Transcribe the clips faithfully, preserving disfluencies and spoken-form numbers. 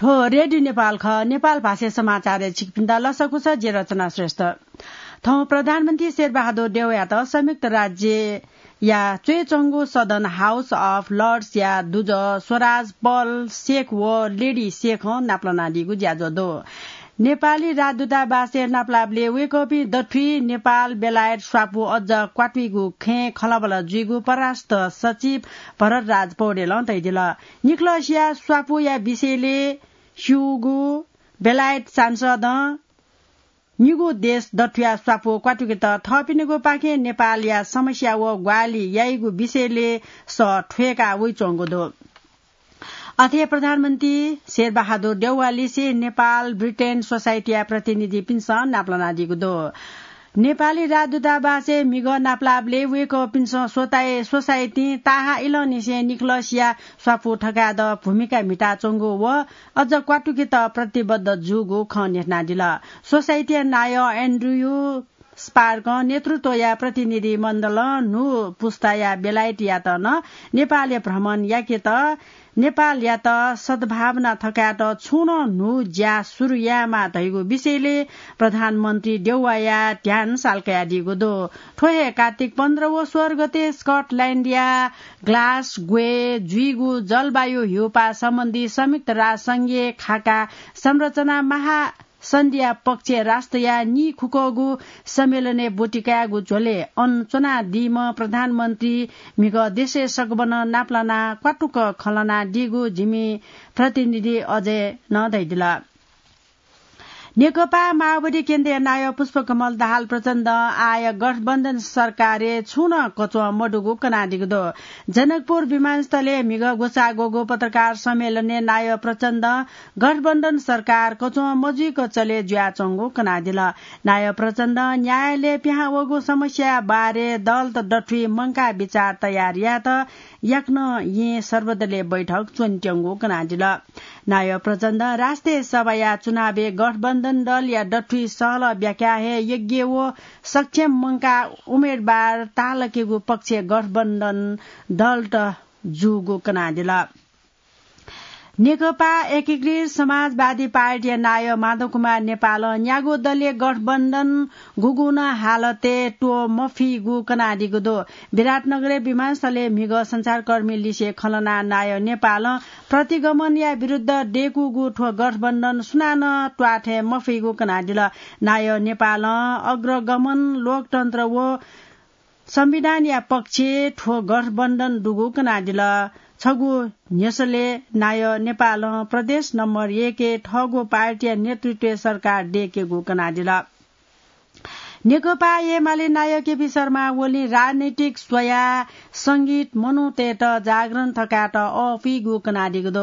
थ्व रेडियो नेपाल खः। नेपाल भाषाय् समाचारय् छिकपिन्त लसकुस, जि रचना श्रेष्ठ। थौं प्रधानमन्त्री शेरबहादुर देउवायात संयुक्त राज्यया च्वय्च्वंगु सदन House of Lords या दुजः स्वराज पल शेख व लेडी शेखं नापलानादीगु ज्याझ्वः दु। नेपाली राजदूतावासय् नापलाबलय् वय्कःपिं दथुइ नेपाल, बेलायत, स्वापू अझ क्वातुइगु खँय् खँल्हाबल्हा जुइगु परराष्ट्र सचिव भरतराज पौडेलं धयादिल। निकलसिया स्वापूया विषयलय् स्यूगु बेलायत सांसदं निगू देश दथुया स्वापू क्वातुकेत थःपिनिगु पाखें नेपालया समस्या व ग्वाहालि याइगु विषयलय् सः थ्वय्का वइच्वंगु दु। अथे प्रधानमन्त्री शेरबहादुर देउवालिसे नेपाल ब्रिटेन सोसाइटीया प्रतिनिधिपिन्सं नापलानादीगु दु। नेपाली राजदूतावासय् म्हिगः नापलाबलय् वय्कःपिन्सं स्वताय् सोसाइटीं ताहाः इलंनिसें निकलसिया स्वापू थकायेत भूमिका म्हिताच्वंगु व अझ क्वातुकेत प्रतिबद्ध जूगु खँ न्ह्यथनादिल। सोसाइटीया नायः एन्ड्रयू स्पार्कं नेतृत्वया प्रतिनिधि मण्डलं न्हू पुस्ताया बेलायतयात नं नेपालय् भ्रमण याकेत नेपालयात सद्भावना थकायेत छुं नं न्हू ज्या सुरु यायेमाः धइगु विषयलय् प्रधानमन्त्री देउवाया ध्यान साल कयादीगु दु। थ्व हे कार्तिक पन्ध्र व सोह्र गते स्कटल्याण्डया ग्लासगोय् जुइगु जलवायु ह्यूपाः सम्बन्धी संयुक्त राष्ट्र संघीय खाका संरचना महासन्धिया पक्षय् राष्ट्रया नीखुक्वःगु सम्मेलनय् ब्वति कायेगु झ्वलय् अन च्वनादीम्ह प्रधानमन्त्री म्हिगः देशय् सकभनं नापलानाः क्वातुक खँ ल्हानादीगु जिमि प्रतिनिधि अजयं धयादिल। नेकपा माओवादी केन्द्रया नायः पुष्पकमल दाहाल प्रचण्डं आः गठबन्धन सरकारय् छुं नं कच्वं मदुगु कनादीगु दु। जनकपुर विमानस्थलय् म्हिगः ग्वसाः ग्वःगु पत्रकार सम्मेलनय् नायः प्रचण्डं गठबन्धन सरकार कच्वं मजुइक चले जुयाच्वंगु कनादिल। नायः प्रचण्डं न्यायालयय् पिहां वःगु समस्या बारे दलत दथुइ मंकाः बिचाः तयार यायेत याकनं येँ सर्वदलीय बैठक च्वनेत्यंगु कनादिल। नायः प्रचण्डं राष्ट्रिय सभाया चुनावय् गठबन्धन दलया दथुइ सहलह ब्याख्या हे योग्य व सक्षम मंकाः उम्मेदवार ताःलाकेगु पक्षय् गठबन्धन दलत जूगु कनादिल। नेकपा एकीकृत समाजवादी पार्टीया नायः माधव कुमार नेपालं न्यागू दलीय गठबन्धन गुगुं नं हालतय् त्वःमफीगु कनादीगु दु। विराटनगरय् विमानस्थलय् म्हिगः सञ्चारकर्मीलिसे खँ ल्हानाः नायः नेपालं प्रतिगमनया विरुद्ध दय्कूगु थ्व गठबन्धन सुनानं त्वाःथें मफइगु कनादिल। नायः नेपालं अग्रगमन, लोकतन्त्र व संविधानया पक्षय् थ्व गठबन्धन दुगु कनादिल। छगू न्ह्यसलय् नायः नेपालं प्रदेश नम्बर एकय् थःगु पार्टीया नेतृत्वय् सरकार दय्केगु कनादिल। नेकपा एमाले नायः केपी शर्मा ओलीं राजनैतिक स्वयाः संगीत मनूतय्त जागरण थकायेत अःपुइगु कनादीगु दु।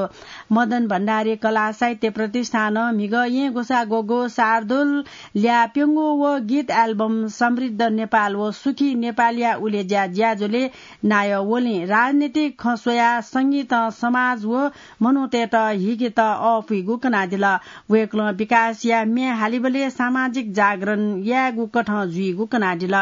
मदन भण्डारी कला साहित्य प्रतिष्ठानं म्हिगः येँ ग्वसाः ग्वःगु शार्दूल ल्याः प्यंगू व गीत album समृद्ध नेपाल व सुखी नेपालया उलेज्या ज्याझ्वलय् नायः ओलीं राजनीतिक खँ स्वयाः संगीतं समाज व मनूतय्त हिकेत अःपुइगु कनादिल। वय्कलं विकासया म्ये हालीबलय् सामाजिक जागरण यायेगु कथं जुइगु कनादिल।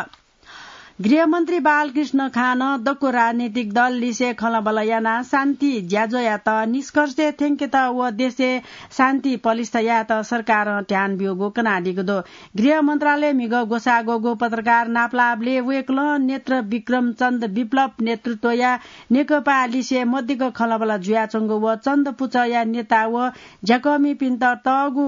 गृहमन्त्री बालकृष्ण खानं दक्व राजनीतिक दललिसे खँल्हाबल्हा यानाः शान्ति ज्याझ्वःयात निष्कर्षय् थ्यंकेत व देशय् शान्ति पलिस्था यायेत सरकारं ध्यान ब्यूगु कनादीगु दु। गृह मन्त्रालयय् म्हिगः ग्वसाः ग्वःगु पत्रकार नापलाःबलय् वय्कलं नेत्र विक्रम चन्द विप्लव नेतृत्वया नेकपालिसे मदिक्क खँल्हाबल्हा जुयाच्वंगु व चन्द पुचःया नेता व ज्याकःमिपिन्त तःगु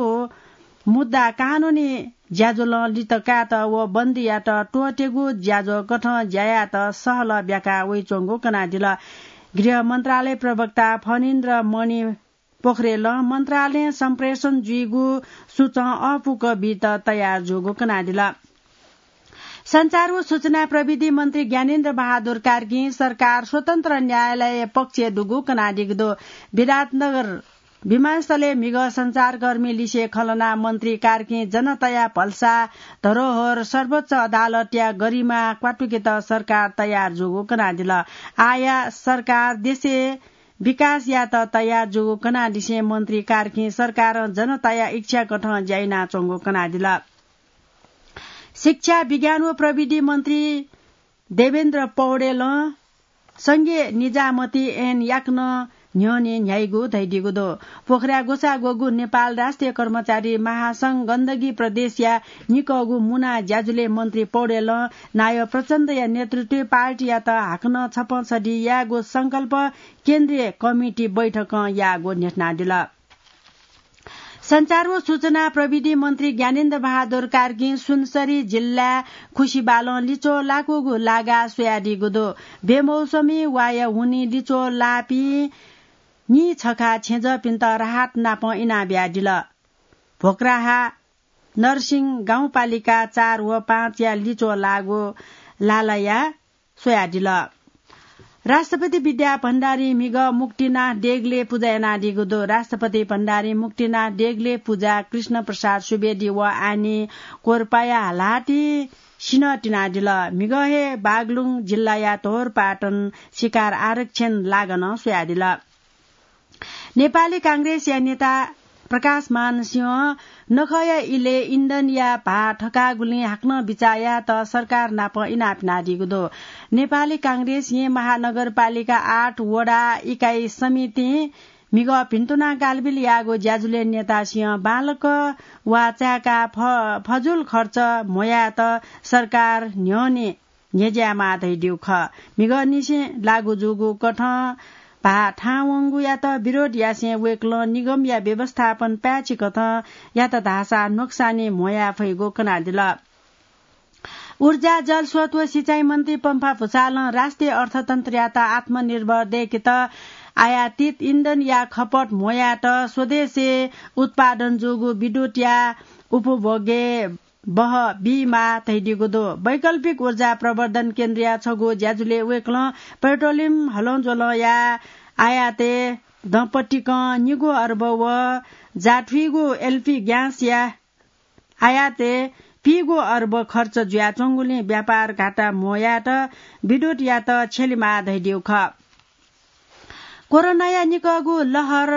मुद्दा कानूनी ज्याझ्वलं लित कायेत व बन्दीयात त्वःतेगु ज्याझ्वः कथं ज्या यायेत सहलह ब्याका वइच्वंगु कनादिल। गृह मन्त्रालय प्रवक्ता फणिन्द्र मणि पोखरेलं मन्त्रालयं सम्प्रेषण जुइगु सूचं अःपुक बीत तयार जूगु कनादिल। सञ्चार व सूचना प्रविधि मन्त्री ज्ञानेन्द्र बहादुर कार्कीं सरकार स्वतन्त्र न्यायालय पक्षय् दुगु कनादीगु दु। विराटनगर विमानस्थलय् म्हिगः सञ्चारकर्मी लिसे खँ ल्हानाः मन्त्री कार्कीं जनताया भलसा धरोहर सर्वोच्च अदालतया गरिमा क्वातुकेत सरकार तयार जूगु कनादिल। आःया सरकार देशय् विकास यायेत तयार जूगु कनादिसें मन्त्री कार्कीं सरकारं जनताया इच्छा कथं ज्या यानाच्वंगु कनादिल। शिक्षा, विज्ञान व प्रविधि मन्त्री देवेन्द्र पौडेलं संघीय निजामती ऐन याकनं न्ह्यःने न्ह्याइगु धइदीगु दु। पोखरा ग्वसाः ग्वःगु नेपाल राष्ट्रिय कर्मचारी महासंघ गण्डकी प्रदेशया निकःगु मुना ज्याझ्वलय् मन्त्री पौडेलं नायः प्रचण्डया नेतृत्वय् पार्टीयात हाकनं छप्पँ छधी यायेगु संकल्प केन्द्रीय कमिटी बैठकं याःगु न्ह्यथनादिल। सञ्चार व सूचना प्रविधि मन्त्री ज्ञानेन्द्र बहादुर कार्कीं सुनसरी जिल्लाय् खुसिबालं लिच्वः लाकूगु लागा स्वयादीगु दु। बेमौसमी वाया हुनिं लिच्वः लाःपिं नीछखा छेँजःपिन्त राहत नापं इनाबियादिल। भोक्राहा नरसिंह गाउँपालिका चार व पाँचया लिच्वः लाःगु लालाया स्वयादिल। राष्ट्रपति विद्या भण्डारी म्हिगः मुक्तिनाथ देगलय् पुजा यानादीगु दु। राष्ट्रपति भण्डारी मुक्तिनाथ देगलय् पुजा कृष्ण प्रसाद सुवेदी व आनी कोर्पाया हालाहाति सिन्हः तिनादिल। म्हिगः हे बागलुङ जिल्लाया धोरपाटन शिकार आरक्षण लागानं स्वयादिल। नेपाली कांग्रेसया नेता प्रकाशमान सिंहं नखःया इलय् इन्धनया भाः थकाःगुलिं हाकनं बिचाः यायेत सरकार नाप इनाप यानादीगु दु। नेपाली कांग्रेस येँ महानगरपालिका आठ वडा इकाई समितिं म्हिगः भिन्तुना कालबिल याःगु ज्याझ्वलय् नेता सिंहं बांलाक वा चाय्‌काः फ-, फजुल खर्च म्ह्वयायेत सरकार न्ह्यःने न्ह्यज्यायेमाः धइदीगु खः। म्हिगःनिसें लागू जूगु कथं भाः थाहां वंगुयात विरोध यासें वय्‌कलं निगमया व्यवस्थापन पाय्‌छि कथं यात धाःसा नोक्सानी म्ह्वयाये फइगु कनादिल। ऊर्जा, जलस्रोत व सिँचाइ मन्त्री पम्फा भुसालं राष्ट्रिय अर्थतन्त्रयात आत्मनिर्भर दय्‌केत आयातित इन्धनया खपत म्ह्वयायेत स्वदेशय् उत्पादन जूगु विद्युतया उपभोगय् बहः बीमाः धइदीगु दु। वैकल्पिक ऊर्जा प्रवर्धन केन्द्रया छगू ज्याझ्वलय् वय्‌कलं पेट्रोलियम हलंज्वलंया आयातय् दँपतिकं निगू अर्ब व जाथुइगु एलपी ग्यासया आयातय् पीगू अर्ब खर्च जुयाच्वंगुलिं व्यापार घाटा म्ह्वयायेत विद्युतयात छ्यलेमाः धइदीगु खः। कोरोनाया निकःगु लहर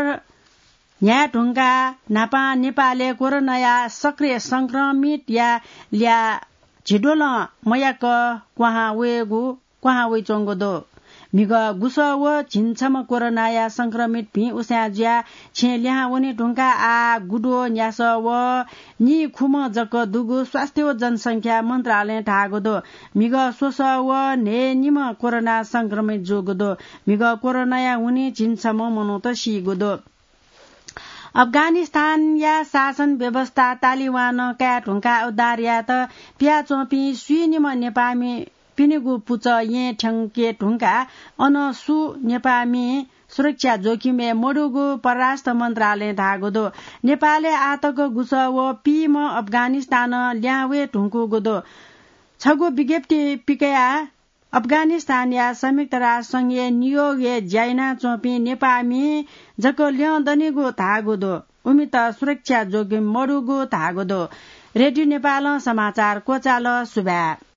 न्ह्याये धुंकाः न्हापां नेपालय् कोरोनाया सक्रिय संक्रमितया ल्याः झिद्वलं मयाक क्वहां वयेगु, क्वहां वइच्वंगु दु। म्हिगः गुसः व झिंछम्ह कोरोनाया संक्रमित भिं उसाँय् जुयाः छेँ लिहां वने धुंकाः आः गुद्वः न्यासः व नीखुम्ह जक दुगु स्वास्थ्य व जनसंख्या मन्त्रालयं धाःगु दु। म्हिगः स्वसः व न्हय्‌निम्ह कोरोना संक्रमित जूगु दु। म्हिगः कोरोनाया हुनिं झिंछम्ह मनूत सीगु दु। अफगानिस्तानया शासन व्यवस्था तालिबानं काये धुंकाः उद्धार यायेत पियाच्वंपिं स्वीनिम्ह नेपाःमि पिनिगु पुचः येँ थ्यंके धुंकाः अन सु नेपाःमि सुरक्षा जोखिमय् मदुगु परराष्ट्र मन्त्रालयं धाःगु दु। नेपालय् आःतक गुसः व पीम्ह अफगानिस्तानं लिहां वये धुंकूगु दु। छगू विज्ञप्ति पिकयाः अफगानिस्तानया संयुक्त राष्ट्र संघय् न्यूयोर्कय् ज्या यानाच्वंपिं नेपाःमि जक ल्यं दनिगु धाःगु दु। उमित सुरक्षा जोखिम मदुगु धाःगु दु। रेडियो नेपालं समाचार क्वचाल। सुभाय्।